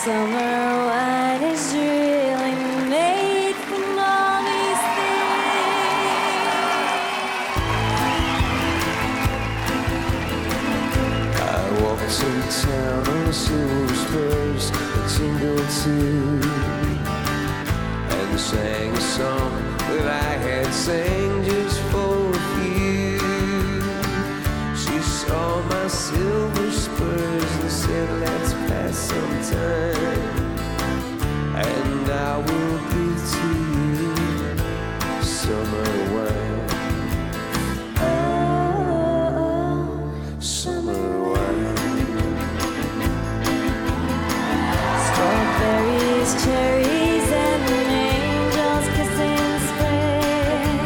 summer wine is really made from all these things. I walked to town on silver spurs, a tingle too, and sang a song that I had sang just for you. She saw my silver spurs and said, let's pass some time, and I will give to you summer wine. Oh, Summer wine. strawberries, cherries, and angels kissing spring.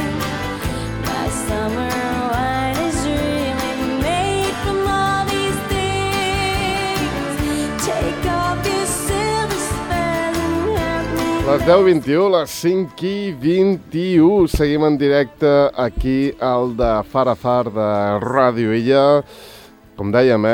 My summer wine is really made from all these things. Take off your silver spurs and help me. Les 10:21, les 5:21. Seguim en directe aquí al de Far a Far de Ràdio Illa. Com dèiem,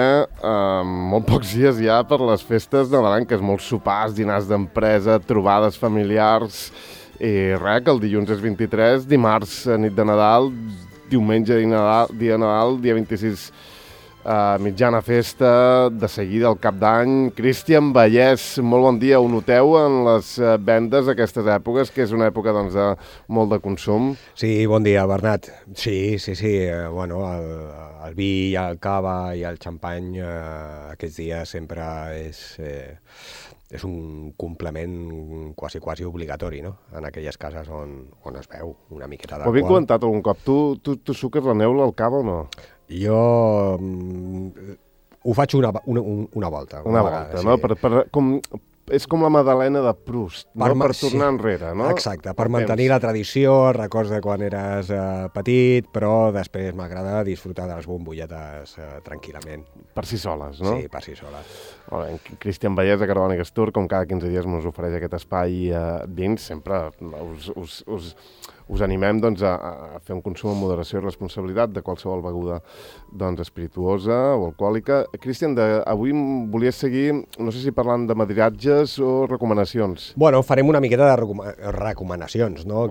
molt pocs dies ja per les festes nadalenques, molts sopars, dinars d'empresa, trobades familiars. I res, que el dilluns és 23, dimarts nit de Nadal, diumenge dia Nadal, dia 26 mitjana festa, de seguida el cap d'any. Cristian Vallès, molt bon dia. Ho noteu en les vendes aquestes èpoques, que és una època doncs, de molt de consum? Sí, bon dia, Bernat. Sí. Bueno, el vi i el cava i el xampany aquests dies sempre és un complement quasi obligatori, no? En aquelles cases on es veu una miqueta d'alcohol. Ho havia comentat algun cop. Tu suques la neula al cava o no? Jo ho faig una volta. Una volta, sí. no? És com la Madalena de Proust, per tornar enrere, no? Exacte, per mantenir la tradició, els records de quan eres petit, però després m'agrada disfrutar de les bombolletes tranquil·lament. Per si soles, no? Sí, per si soles. Molt bé, Cristian Vallès de Caravana Gastur, com cada 15 dies ens ofereix aquest espai dins, sempre us animem doncs, a fer un consum amb moderació i responsabilitat de qualsevol beguda doncs, espirituosa o alcohòlica. Cristian, avui volies seguir, no sé si parlant de madriatges o recomanacions. Bueno, farem una miqueta de recomanacions, no?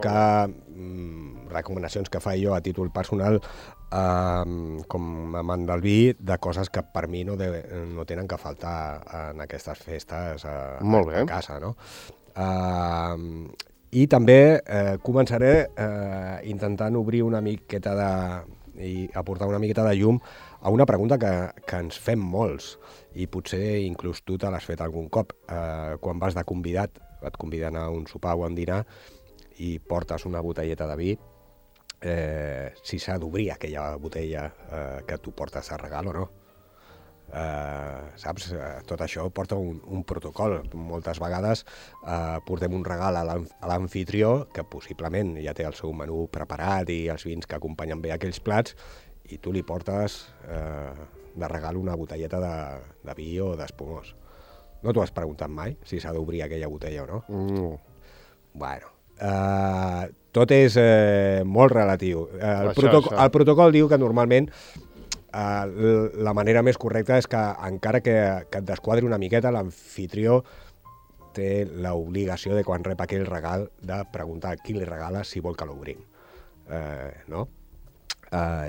Recomanacions que faig jo a títol personal com a amant del vi, de coses que per mi no tenen que faltar en aquestes festes a casa, no? I també començaré intentant obrir una miqueta i aportar una miqueta de llum a una pregunta que ens fem molts, i potser inclús tu te l'has fet algun cop. Quan vas de convidat, et conviden a un sopar o a un dinar i portes una botelleta de vi, si s'ha d'obrir aquella botella que tu portes a regal o no. Saps? Tot això porta un protocol. Moltes vegades portem un regal a l'anfitrió que possiblement ja té el seu menú preparat i els vins que acompanyen bé aquells plats, i tu li portes de regal una botelleta de vi o d'espumós. No t'ho has preguntat mai si s'ha d'obrir aquella botella o no? No. Bueno, tot és molt relatiu. El protocol diu que normalment la manera més correcta és que, encara que et desquadri una miqueta, l'anfitrió té l'obligació de, quan rep aquell regal, de preguntar a qui li regala si vol que l'obrim. No?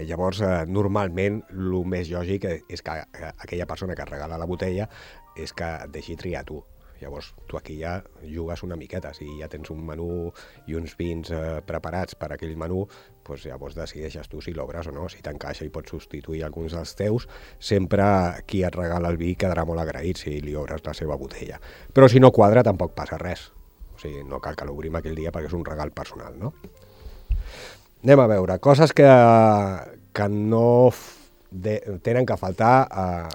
Llavors, normalment, el més lògic és que aquella persona que et regala la botella és que et deixi triar tu. Llavors, tu aquí ja jugues una miqueta. Si ja tens un menú i uns vins preparats per a aquell menú, doncs llavors decideixes tu si l'obres o no. Si t'encaixa i pots substituir alguns dels teus, sempre qui et regala el vi quedarà molt agraït si li obres la seva botella. Però si no quadra, tampoc passa res. O sigui, no cal que l'obrim aquell dia perquè és un regal personal, no? Anem a veure, coses que no tenen que faltar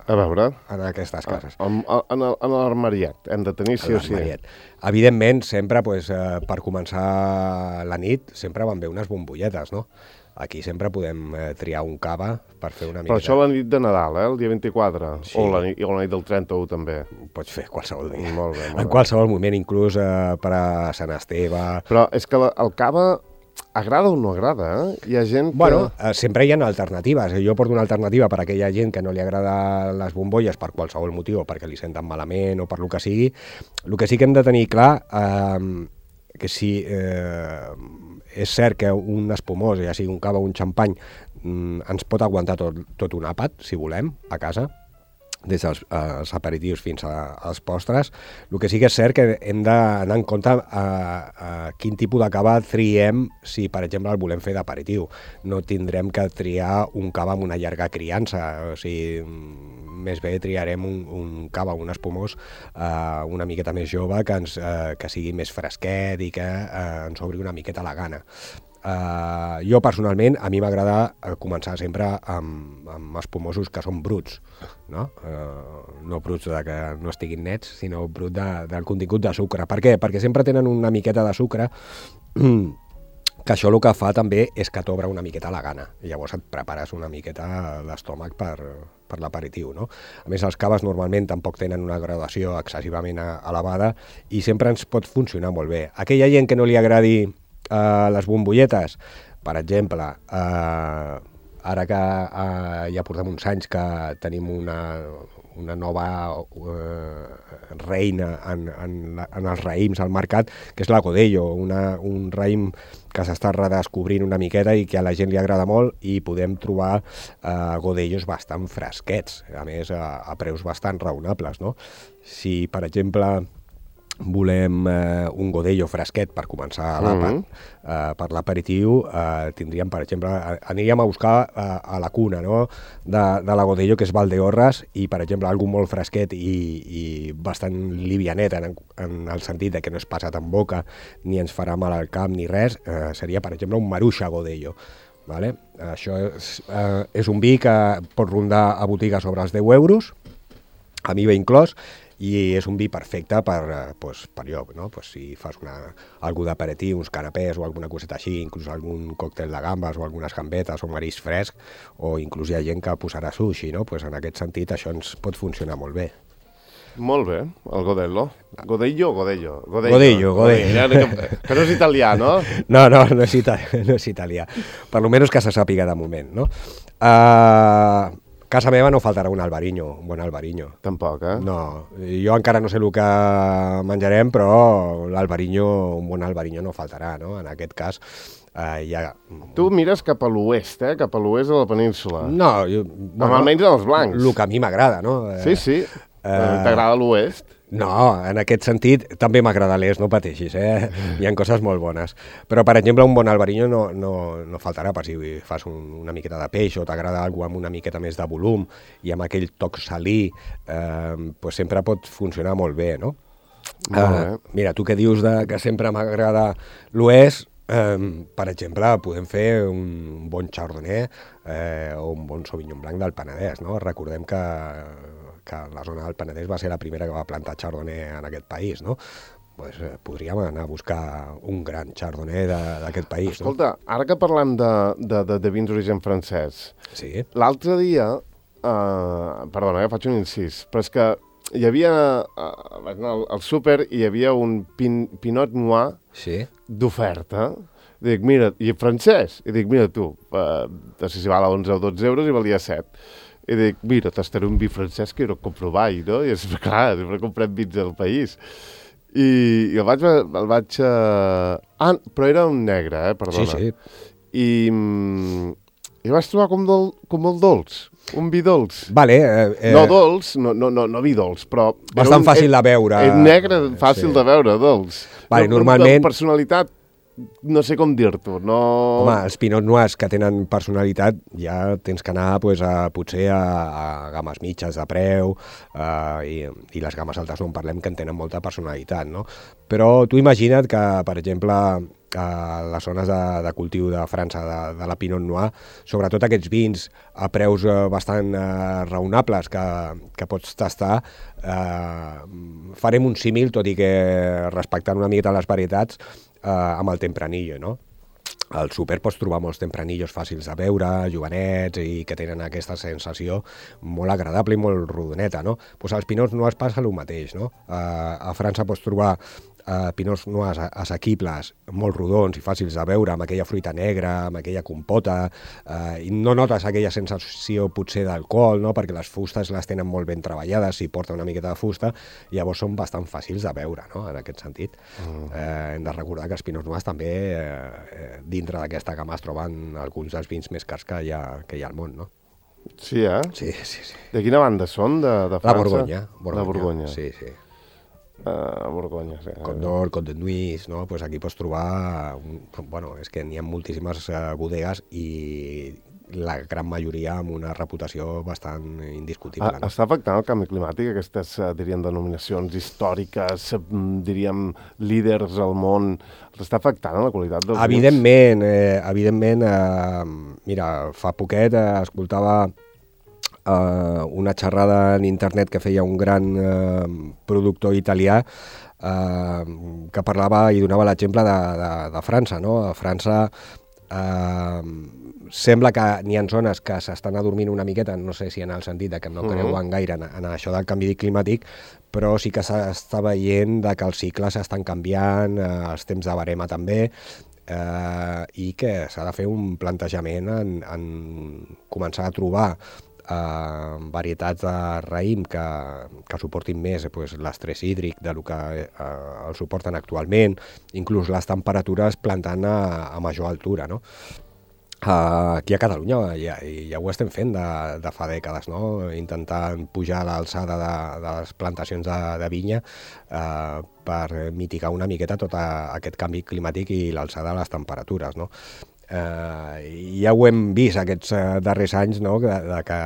en aquestes cases. En l'armariet, hem de tenir sí o sí. Evidentment, sempre, per començar la nit, sempre van bé unes bombolletes, no? Aquí sempre podem triar un cava per fer una miqueta. Però això la nit de Nadal, el dia 24, sí. o la nit del 31 també. Pots fer qualsevol dia. Molt bé. En qualsevol moment, inclús per a Sant Esteve. Però és que el cava agrada o no agrada, Hi ha gent que... Bueno, sempre hi ha alternatives. Jo porto una alternativa per a aquella gent que no li agrada les bombolles per qualsevol motiu, perquè li senten malament o per lo que sigui. El que sí que hem de tenir clar, que si és cert que un espumós, ja sigui un cava o un xampany, ens pot aguantar tot un àpat, si volem, a casa, des dels aperitius fins als postres. El que sí que és cert que hem d'anar en compte a quin tipus de cava triem si, per exemple, el volem fer d'aperitiu. No tindrem que triar un cava amb una llarga criança, o sigui, més bé triarem un cava, un espumós una miqueta més jove, que sigui més fresquet i que ens obri una miqueta la gana. Jo personalment, a mi m'agrada començar sempre amb espumosos que són bruts, no? No bruts de que no estiguin nets, sinó brut del contingut de sucre. Per què? Perquè sempre tenen una miqueta de sucre, que això el que fa també és que t'obre una miqueta la gana, i llavors et prepares una miqueta l'estómac per l'aperitiu, no? A més, els caves normalment tampoc tenen una graduació excessivament elevada i sempre ens pot funcionar molt bé. Aquella gent que no li agradi les bombolletes, per exemple, ara que ja portem uns anys que tenim una nova reina en els raïms al mercat, que és la Godello, un raïm que s'està redescobrint una miqueta i que a la gent li agrada molt, i podem trobar Godellos bastant fresquets, a més a preus bastant raonables, no? Si, per exemple, volem un Godello fresquet per començar l'àpat, per l'aperitiu, tindríem, per exemple, aniríem a buscar a la cuna, no?, de la Godello, que és Valdeorras, i, per exemple, algú molt fresquet i bastant livianet, en el sentit de que no és passat en boca, ni ens farà mal al cap, ni res, seria, per exemple, un Maruixa Godello. Vale? Això és un vi que pot rondar a botiga sobre els 10 euros, amb IVA inclòs, i és un vi perfecte per allò, no? Si fas algú d'aperitiu, uns canapés o alguna coseta així, inclús algun còctel de gambes o algunes gambetes o marisc fresc, o inclús hi ha gent que posarà sushi, no? En aquest sentit això ens pot funcionar molt bé. Molt bé, el Godello. Godello o Godello? Godello. Que no és italià, no? No és italià. Per almenys que se sàpiga de moment, no? Casa meva no faltarà un bon albariño. Tampoc, No, jo encara no sé el que menjarem, però un bon albariño no faltarà, no? En aquest cas, ja... Tu mires cap a l'oest, cap a l'oest de la península. No, almenys en els blancs. El que a mi m'agrada, no? Sí. T'agrada l'oest? No, en aquest sentit també m'agrada l'est, no pateixis, Hi ha coses molt bones. Però, per exemple, un bon albariño no faltarà per si fas una miqueta de peix o t'agrada alguna cosa amb una miqueta més de volum i amb aquell toc salí, sempre pot funcionar molt bé, no? Mira, tu que dius que sempre m'agrada l'oest, per exemple, podem fer un bon chardonnay o un bon sauvignon blanc del Penedès, no? Recordem que la zona del Penedès va ser la primera que va plantar chardonnay en aquest país, no? Podríem anar a buscar un gran chardonnay d'aquest país. Escolta, ara que parlem de vins d'origen francès, sí. L'altre dia, perdona, faig un incís, però és que hi havia, al súper hi havia un Pinot Noir d'oferta. Dic, mira, i francès? I dic, mira tu, no sé si val a 11 o 12 euros i valia 7. I dic, mira, tastaré un vi francès que no compro mai, no? I és clar, sempre comprem vins del país. I el vaig... però era un negre, perdona. Sí. I vaig trobar com molt dolç, un vi dolç. Vale. No dolç, no vi dolç, però... Bastant fàcil de veure. Negre, fàcil de veure, dolç. Vale, normalment... Personalitat, no sé com dir-t'ho, no... Home, els Pinot Noirs que tenen personalitat ja tens que anar potser a games mitges de preu i les games altes no en parlem, que en tenen molta personalitat, no? Però tu imagina't que, per exemple, a les zones de cultiu de França de la Pinot Noir, sobretot aquests vins a preus bastant raonables que pots tastar, farem un símil, tot i que respectant una miqueta les varietats, amb el Tempranillo, no? Al súper pots trobar molts tempranillos fàcils de veure, jovenets i que tenen aquesta sensació molt agradable i molt rodoneta, no? Pues als Pinot Noirs passa el mateix, no? A França pots trobar Pinot Noirs assequibles, molt rodons i fàcils de veure, amb aquella fruita negra, amb aquella compota, i no notes aquella sensació potser d'alcohol, no? Perquè les fustes les tenen molt ben treballades, si porta una miqueta de fusta, i llavors són bastant fàcils de veure, no? En aquest sentit. Hem de recordar que els Pinot Noirs també, dintre d'aquesta gamma, es troben alguns dels vins més cars que hi ha al món, no? Sí, eh? Sí. De quina banda són, de França? La Borgonya. La Borgonya. Sí. Borgonya, sí. Condor, Côte de Nuits, no? Pues aquí pots trobar... Bueno, és que n'hi ha moltíssimes bodegues i la gran majoria amb una reputació bastant indiscutible. No? Està afectant el canvi climàtic, aquestes, diríem, denominacions històriques, diríem, líders al món, els està afectant la qualitat dels vins? Evidentment, mira, fa poquet escoltava una xerrada en internet que feia un gran productor italià que parlava i donava l'exemple de França, no? A França sembla que n'hi ha zones que s'estan adormint una miqueta, no sé si en el sentit de que no creuen gaire en això del canvi climàtic, però sí que s'està veient que els cicles estan canviant, els temps de verema també, i que s'ha de fer un plantejament en començar a trobar varietats de raïm que suportin més l'estrès hídric del que el suporten actualment, inclús les temperatures plantant a major altura, no? Aquí a Catalunya ja ho estem fent de fa dècades, no? Intentant pujar l'alçada de les plantacions de vinya per mitigar una miqueta tot aquest canvi climàtic i l'alçada de les temperatures, no? Ja ho hem vist aquests darrers anys, no? Que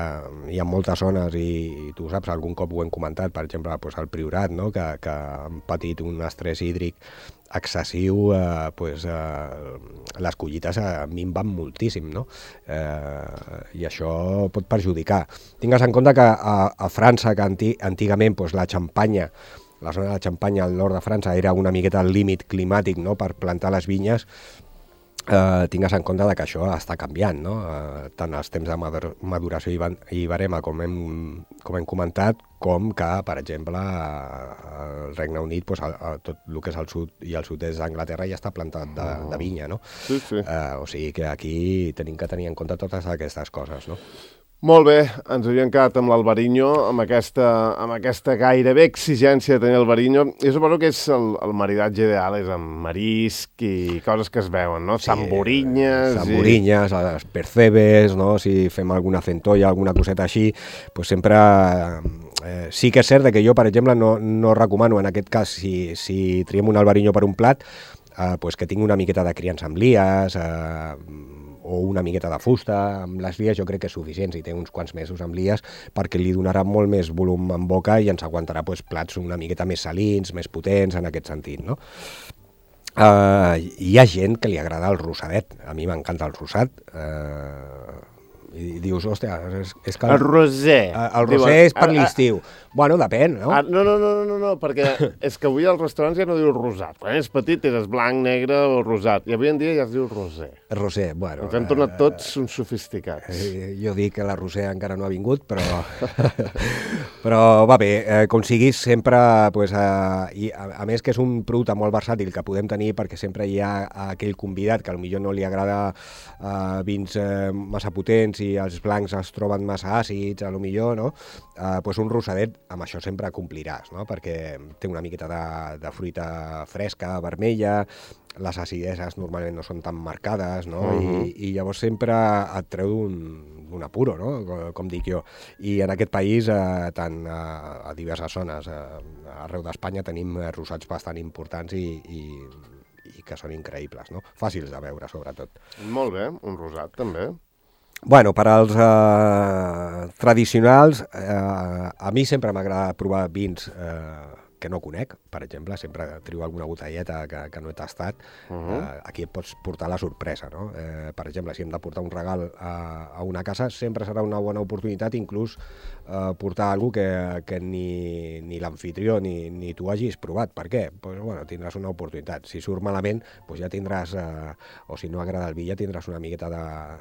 hi ha moltes zones i tu saps, algun cop ho hem comentat, per exemple al Priorat, no? que han patit un estrès hídric excessiu, les collites minven moltíssim, no? I això pot perjudicar. Tingues en compte que a França, que antigament la Xampanya, la zona de la Xampanya al nord de França era una miqueta el límit climàtic, no? Per plantar les vinyes, tingues en compte que això està canviant, no? Tant els temps de maduració i verema, com hem comentat, com que, per exemple, al Regne Unit, tot el que és el sud i el sud-est d'Anglaterra ja està plantat de vinya, no? Sí. O sigui que aquí tenim que tenir en compte totes aquestes coses, no? Molt bé, ens havíem quedat amb l'Albariño, amb aquesta gairebé exigència de tenir Alvarinho. Jo suposo que és el maridatge ideal, és amb marisc i coses que es veuen, no? Sí, Samborinyes, les percebes, no? Si fem alguna centolla, alguna coseta així, doncs sempre... sí que és cert que jo, per exemple, no recomano, en aquest cas, si triem un Alvarinho per un plat, que tingui una miqueta de criança amb lies, o una miqueta de fusta. Amb les lies jo crec que és suficient, si té uns quants mesos amb lies, perquè li donarà molt més volum en boca i ens aguantarà plats una miqueta més salins, més potents, en aquest sentit, no? Hi ha gent que li agrada el rosadet. A mi m'encanta el rosat. I dius, hòstia, és que... El rosé. El rosé és per l'estiu. Bueno, depèn, no? No, perquè és que avui als restaurants ja no diu rosat. Quan és petit és blanc, negre o rosat. I avui en dia ja es diu rosé. Rosé, bueno... Ens hem tornat tots uns sofisticats. Jo dic que la rosé encara no ha vingut, però... però va bé, com siguis, sempre... i a més que és un producte molt versàtil que podem tenir perquè sempre hi ha aquell convidat que potser no li agrada vins massa potents i els blancs es troben massa àcids, potser, no? Un rosadet amb això sempre compliràs, no? Perquè té una miqueta de fruita fresca, vermella, les acideses normalment no són tan marcades, no? I llavors sempre et treu d'un apuro, no? Com dic jo. I en aquest país, tant a diverses zones, arreu d'Espanya, tenim rosats bastant importants i que són increïbles, no? Fàcils de veure, sobretot. Molt bé, un rosat també. Bueno, per als tradicionals, a mi sempre m'agrada provar vins que no conec, per exemple, sempre trio alguna botelleta que no he tastat, aquí et pots portar la sorpresa, no? Per exemple, si hem de portar un regal a una casa, sempre serà una bona oportunitat inclús portar alguna que ni l'anfitrió ni tu hagis provat. Per què? Pues, bueno, tindràs una oportunitat. Si surt malament, pues ja tindràs, o si no agrada el vi, ja tindràs una miqueta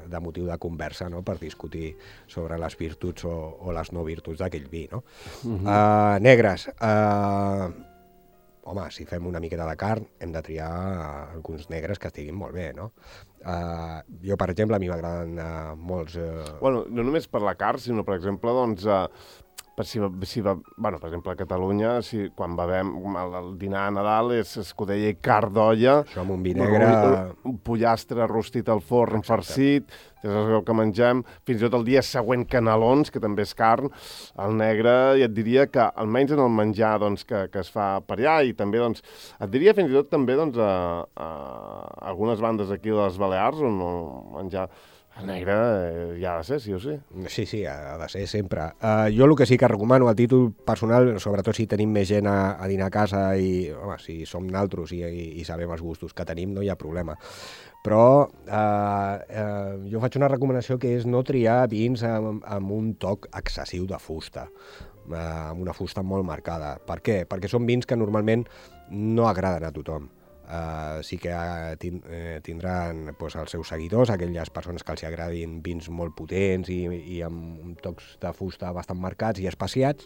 de motiu de conversa, no?, per discutir sobre les virtuts o les no virtuts d'aquell vi, no? Negres. Home, si fem una miqueta de carn, hem de triar alguns negres que estiguin molt bé, no? Jo, per exemple, a mi m'agraden molts... Bueno, no només per la carn, sinó, per exemple, doncs... per exemple, a Catalunya, quan bevem el dinar a Nadal és escudella i carn d'olla, això amb un vi negre... un pollastre rostit al forn, farcit, és el que mengem, fins i tot el dia següent canelons, que també és carn. El negre, ja et diria que, almenys en el menjar doncs, que es fa per allà, i també, doncs, et diria fins i tot també doncs, a algunes bandes aquí de les Balears, on el menjar... El negre ja ha de ser, sí o sí? Sí, ha de ser sempre. Jo el que sí que recomano a títol personal, sobretot si tenim més gent a dinar a casa i, home, si som naltros i sabem els gustos que tenim, no hi ha problema. Però jo faig una recomanació que és no triar vins amb un toc excessiu de fusta, amb una fusta molt marcada. Per què? Perquè són vins que normalment no agraden a tothom. Sí que tindran doncs, els seus seguidors, aquelles persones que els agradin vins molt potents i amb tocs de fusta bastant marcats i espaciats,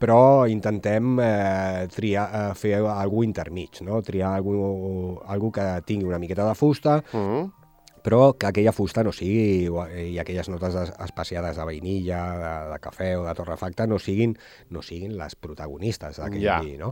però intentem fer alguna intermig, no? Triar alguna que tingui una miqueta de fusta, però que aquella fusta no sigui, i aquelles notes espaciades de vainilla, de cafè o de torrefacte no siguin les protagonistes d'aquell vi, no?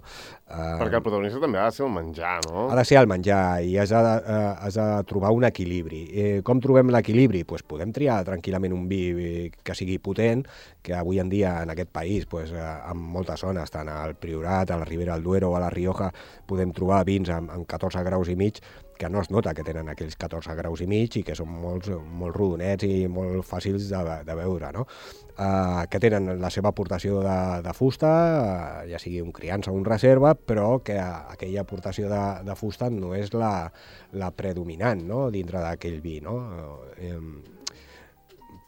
Perquè el protagonista també ha de ser el menjar, no? Ha de ser el menjar i has de trobar un equilibri. Com trobem l'equilibri? Pues podem triar tranquil·lament un vi que sigui potent, que avui en dia en aquest país, pues, en moltes zones, tant al Priorat, a la Ribera del Duero o a la Rioja, podem trobar vins amb 14 graus i mig, que no es nota que tenen aquells 14 graus i mig i que són molt rodonets i molt fàcils de veure, no? Que tenen la seva aportació de fusta, ja sigui un criança o un reserva, però que aquella aportació de fusta no és la predominant, no?, dintre d'aquell vi, no?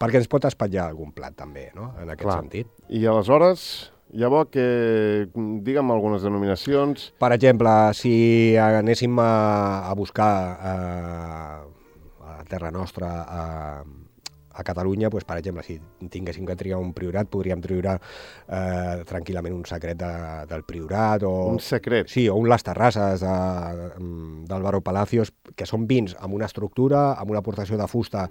Perquè ens pot espatllar algun plat també, no?, en aquest sentit. I aleshores... Llavors, digue'm algunes denominacions. Per exemple, si anéssim a buscar a terra nostra, a Catalunya, doncs, per exemple, si tinguéssim que triar un Priorat, podríem triar tranquil·lament un secret del Priorat. Un secret? Sí, o un Les Terrasses d'Álvaro Palacios, que són vins amb una estructura, amb una aportació de fusta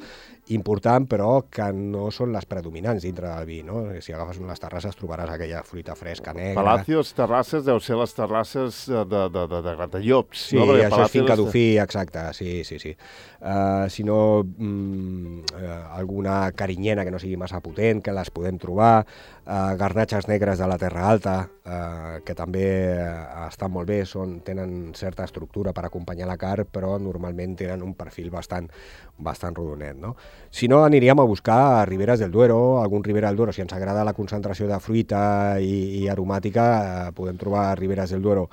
important, però que no són les predominants dintre del vi, no? Si agafes un Les Terrasses trobaràs aquella fruita fresca negra. Palacios Terrasses deu ser les terrasses de Gratallops. Sí, no? Això és Finca Dufí, exacte, sí. Si no, alguna carinyena que no sigui massa potent, que les podem trobar, garnatxes negres de la Terra Alta, que també estan molt bé, tenen certa estructura per acompanyar la carn, però normalment tenen un perfil bastant rodonet, no? Si no, aniríem a buscar Riberas del Duero, algun Ribera del Duero. Si ens agrada la concentració de fruita i aromàtica, podem trobar Riberas del Duero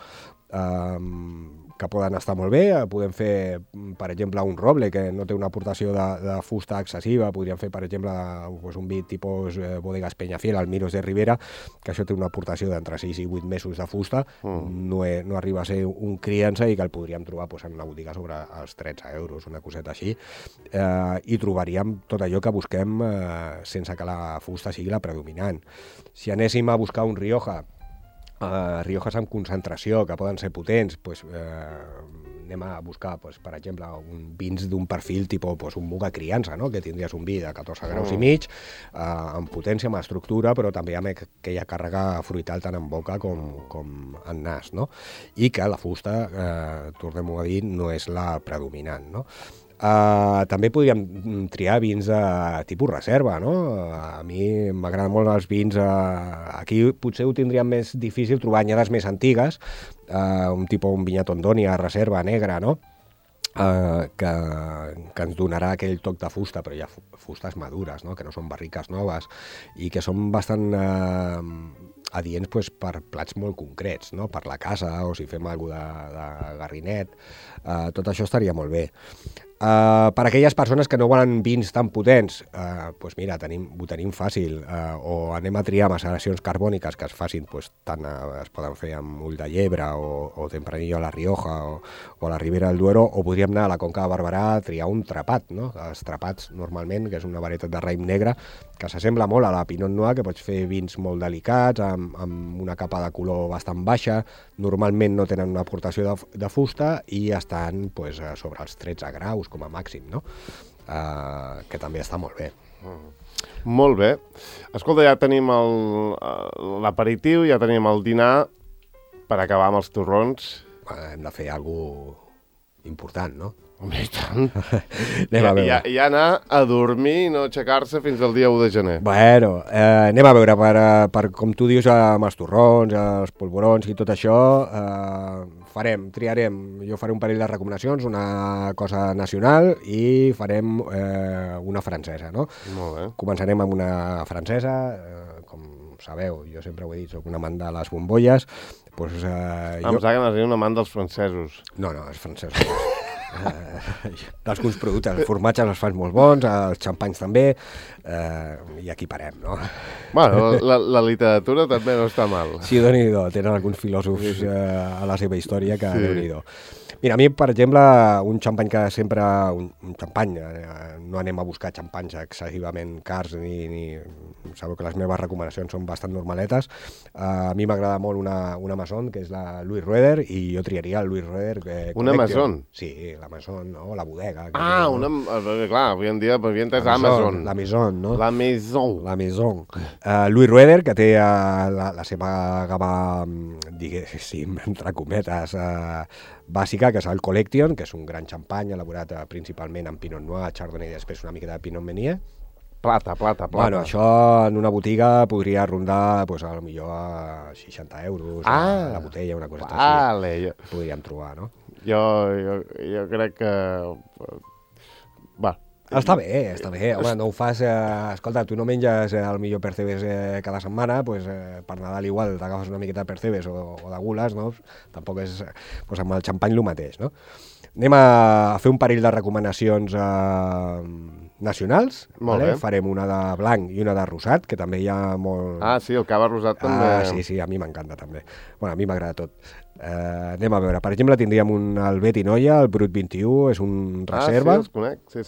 que poden estar molt bé. Podem fer, per exemple, un roble, que no té una aportació de fusta excessiva. Podríem fer, per exemple, un vi tipus Bodegas Peñafiel, Almiros de Ribera, que això té una aportació d'entre 6 i 8 mesos de fusta. No arriba a ser un criança i que el podríem trobar en una botiga sobre els 13 euros, una coseta així. I trobaríem tot allò que busquem sense que la fusta sigui la predominant. Si anéssim a buscar un Rioja, Riojas amb concentració, que poden ser potents, anem a buscar, per exemple, vins d'un perfil tipus un Muga criança, no? Que tindries un vi de 14 graus i mig, amb potència, amb estructura, però també amb aquella càrrega fruital tant en boca com en nas, no? I que la fusta, tornem-ho a dir, no és la predominant, no? També podríem triar vins de tipus reserva, no? A mi m'agraden molt els vins, aquí potser ho tindríem més difícil trobar anyades més antigues, un Vinyat Ondònia reserva negra, no? Que ens donarà aquell toc de fusta, però hi ha fustes madures, no? Que no són barriques noves i que són bastant adients pues, per plats molt concrets, no? Per la casa o si fem alguna cosa de garrinet, tot això estaria molt bé. Per aquelles persones que no volen vins tan potents, doncs mira, ho tenim fàcil, o anem a triar maceracions carbòniques que es facin, tant es poden fer amb ull de llebre o tempranillo a la Rioja o a la Ribera del Duero, o podríem anar a la Conca de Barberà a triar un trapat, no? Els trapats, normalment, que és una varietat de raïm negre, que s'assembla molt a la Pinot Noir, que pots fer vins molt delicats, amb una capa de color bastant baixa, normalment no tenen una aportació de fusta i estan pues, sobre els 13 graus com a màxim, no? Que també està molt bé. Molt bé. Escolta, ja tenim l'aperitiu, ja tenim el dinar per acabar amb els torrons. Hem de fer alguna cosa important, no? Home, i tant. Anem a veure. I anar a dormir i no aixecar-se fins al dia 1 de gener. Bueno, anem a veure, per com tu dius, amb els torrons, els polvorons i tot això, triarem, jo faré un parell de recomanacions, una cosa nacional i farem una francesa, no? Molt bé. Començarem amb una francesa, com sabeu, jo sempre ho he dit, soc un amant de les bombolles. Pues, em sembla que n'has dit un amant dels francesos. No, els francesos. D'alguns productes, els formatges els fan molt bons, els xampanys també, i aquí parem, no? Bueno, la literatura també no està mal. Sí, Déu-n'hi-do, tenen alguns filòsofs a la seva història que Déu-n'hi-do. Mira, a mi, per exemple, un xampany que sempre... Un xampany, no anem a buscar xampanys excessivament cars, ni sabeu que les meves recomanacions són bastant normaletes. A mi m'agrada molt una Maison, que és la Louis Roeder, i jo triaria el Louis Roeder. Una Maison? Sí, la Maison, no? La bodega. Clar, avui en dia havia entès Amazon. La Maison, no? La Maison. La Maison. Louis Roeder, que té la seva gamma, diguéssim, entre cometes, bàsica, que és el Collection, que és un gran xampany elaborat principalment amb Pinot Noir, Chardonnay i després una mica de Pinot Meunier. Plata. Bueno, això en una botiga podria rondar, pues, a lo millor a 60 euros, la botella, una cosa així. Podríem trobar, no? Jo crec que... Va. Està bé. Home, no ho fas... escolta, tu no menges el millor percebes cada setmana, pues, per Nadal igual t'agafes una miqueta de percebes o de gules, no? Tampoc és... Pues amb el xampany el mateix, no? Anem a fer un parell de recomanacions nacionals. Molt bé. Farem una de blanc i una de rosat, que també hi ha molt... Ah, sí, el cava rosat també... Sí, a mi m'encanta també. Bueno, a mi m'agrada tot. Anem a veure, per exemple, tindríem el Bet i Noia, el Brut 21, és un reserva. Ah, sí, els conec, sí.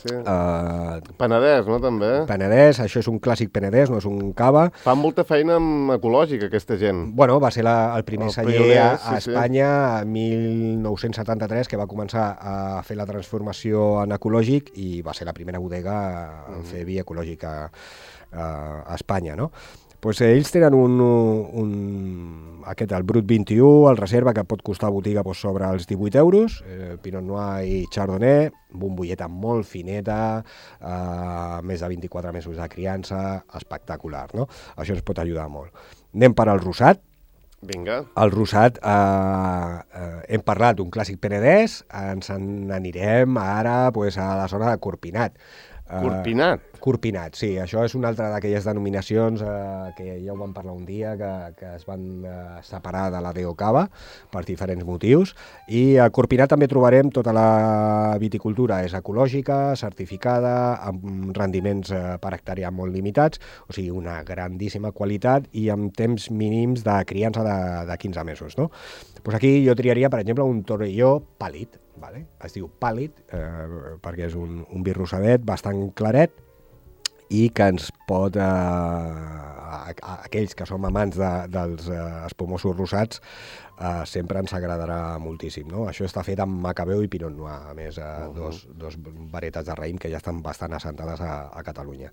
Penedès, no, també? Penedès, això és un clàssic penedès, no és un cava. Fan molta feina amb ecològica, aquesta gent. Bueno, va ser el primer celler a Espanya, en 1973, que va començar a fer la transformació en ecològic i va ser la primera bodega a fer vi ecològic a Espanya, no? Pues ells tenen el Brut 21, el reserva, que pot costar a botiga sobre els 18 euros, Pinot Noir i Chardonnay, bombolleta molt fineta, més de 24 mesos de criança, espectacular, no? Això ens pot ajudar molt. Anem per al rosat. Vinga. El rosat, hem parlat d'un clàssic penedès, ens n'anirem ara pues, a la zona de Corpinat. Corpinat, sí. Això és una altra d'aquelles denominacions que ja ho vam parlar un dia, que es van separar de la DO Cava per diferents motius. I a Corpinat també trobarem tota la viticultura, és ecològica, certificada, amb rendiments per hectàrea molt limitats, o sigui, una grandíssima qualitat i amb temps mínims de criança de 15 mesos, no? Pues aquí jo triaria, per exemple, un Torelló pàl·lid, vale? Es diu pàl·lid perquè és un vi rosadet bastant claret i que ens pot, aquells que som amants dels espumosos rosats, sempre ens agradarà moltíssim, no? Això està fet amb Macabeu i Pinot Noir, a més, dos varietats de raïm que ja estan bastant assentades a Catalunya.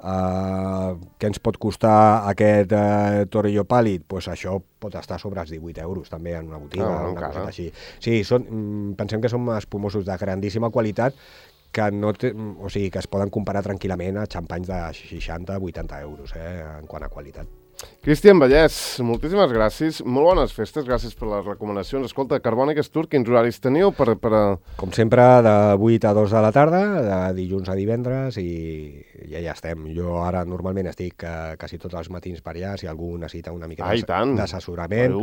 Què ens pot costar aquest Torelló pàl·lid? Pues això pot estar sobre els 18 euros, també, en una botiga, una cosa així. Sí, pensem que són espumosos de grandíssima qualitat, que es poden comparar tranquil·lament a xampanys de 60-80 euros, en quant a qualitat. Cristian Vallès, moltíssimes gràcies, molt bones festes, gràcies per les recomanacions. Escolta, Carbòniques Tour, quins horaris teniu per... Com sempre, de 8 a 2 de la tarda, de dilluns a divendres, i ja estem. Jo ara normalment estic quasi tots els matins per allà, si algú necessita una mica d'assessorament,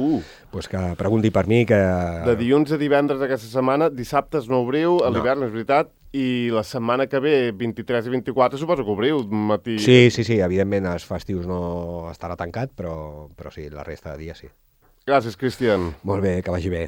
pues que pregunti per mi. De dilluns a divendres aquesta setmana, dissabtes no obriu, a l'hivern, és veritat, i la setmana que ve, 23 i 24, suposo que obriu matí... Sí, evidentment els festius no estarà tancat, però sí, la resta de dies sí. Gràcies, Cristian. Molt bé, que vagi bé.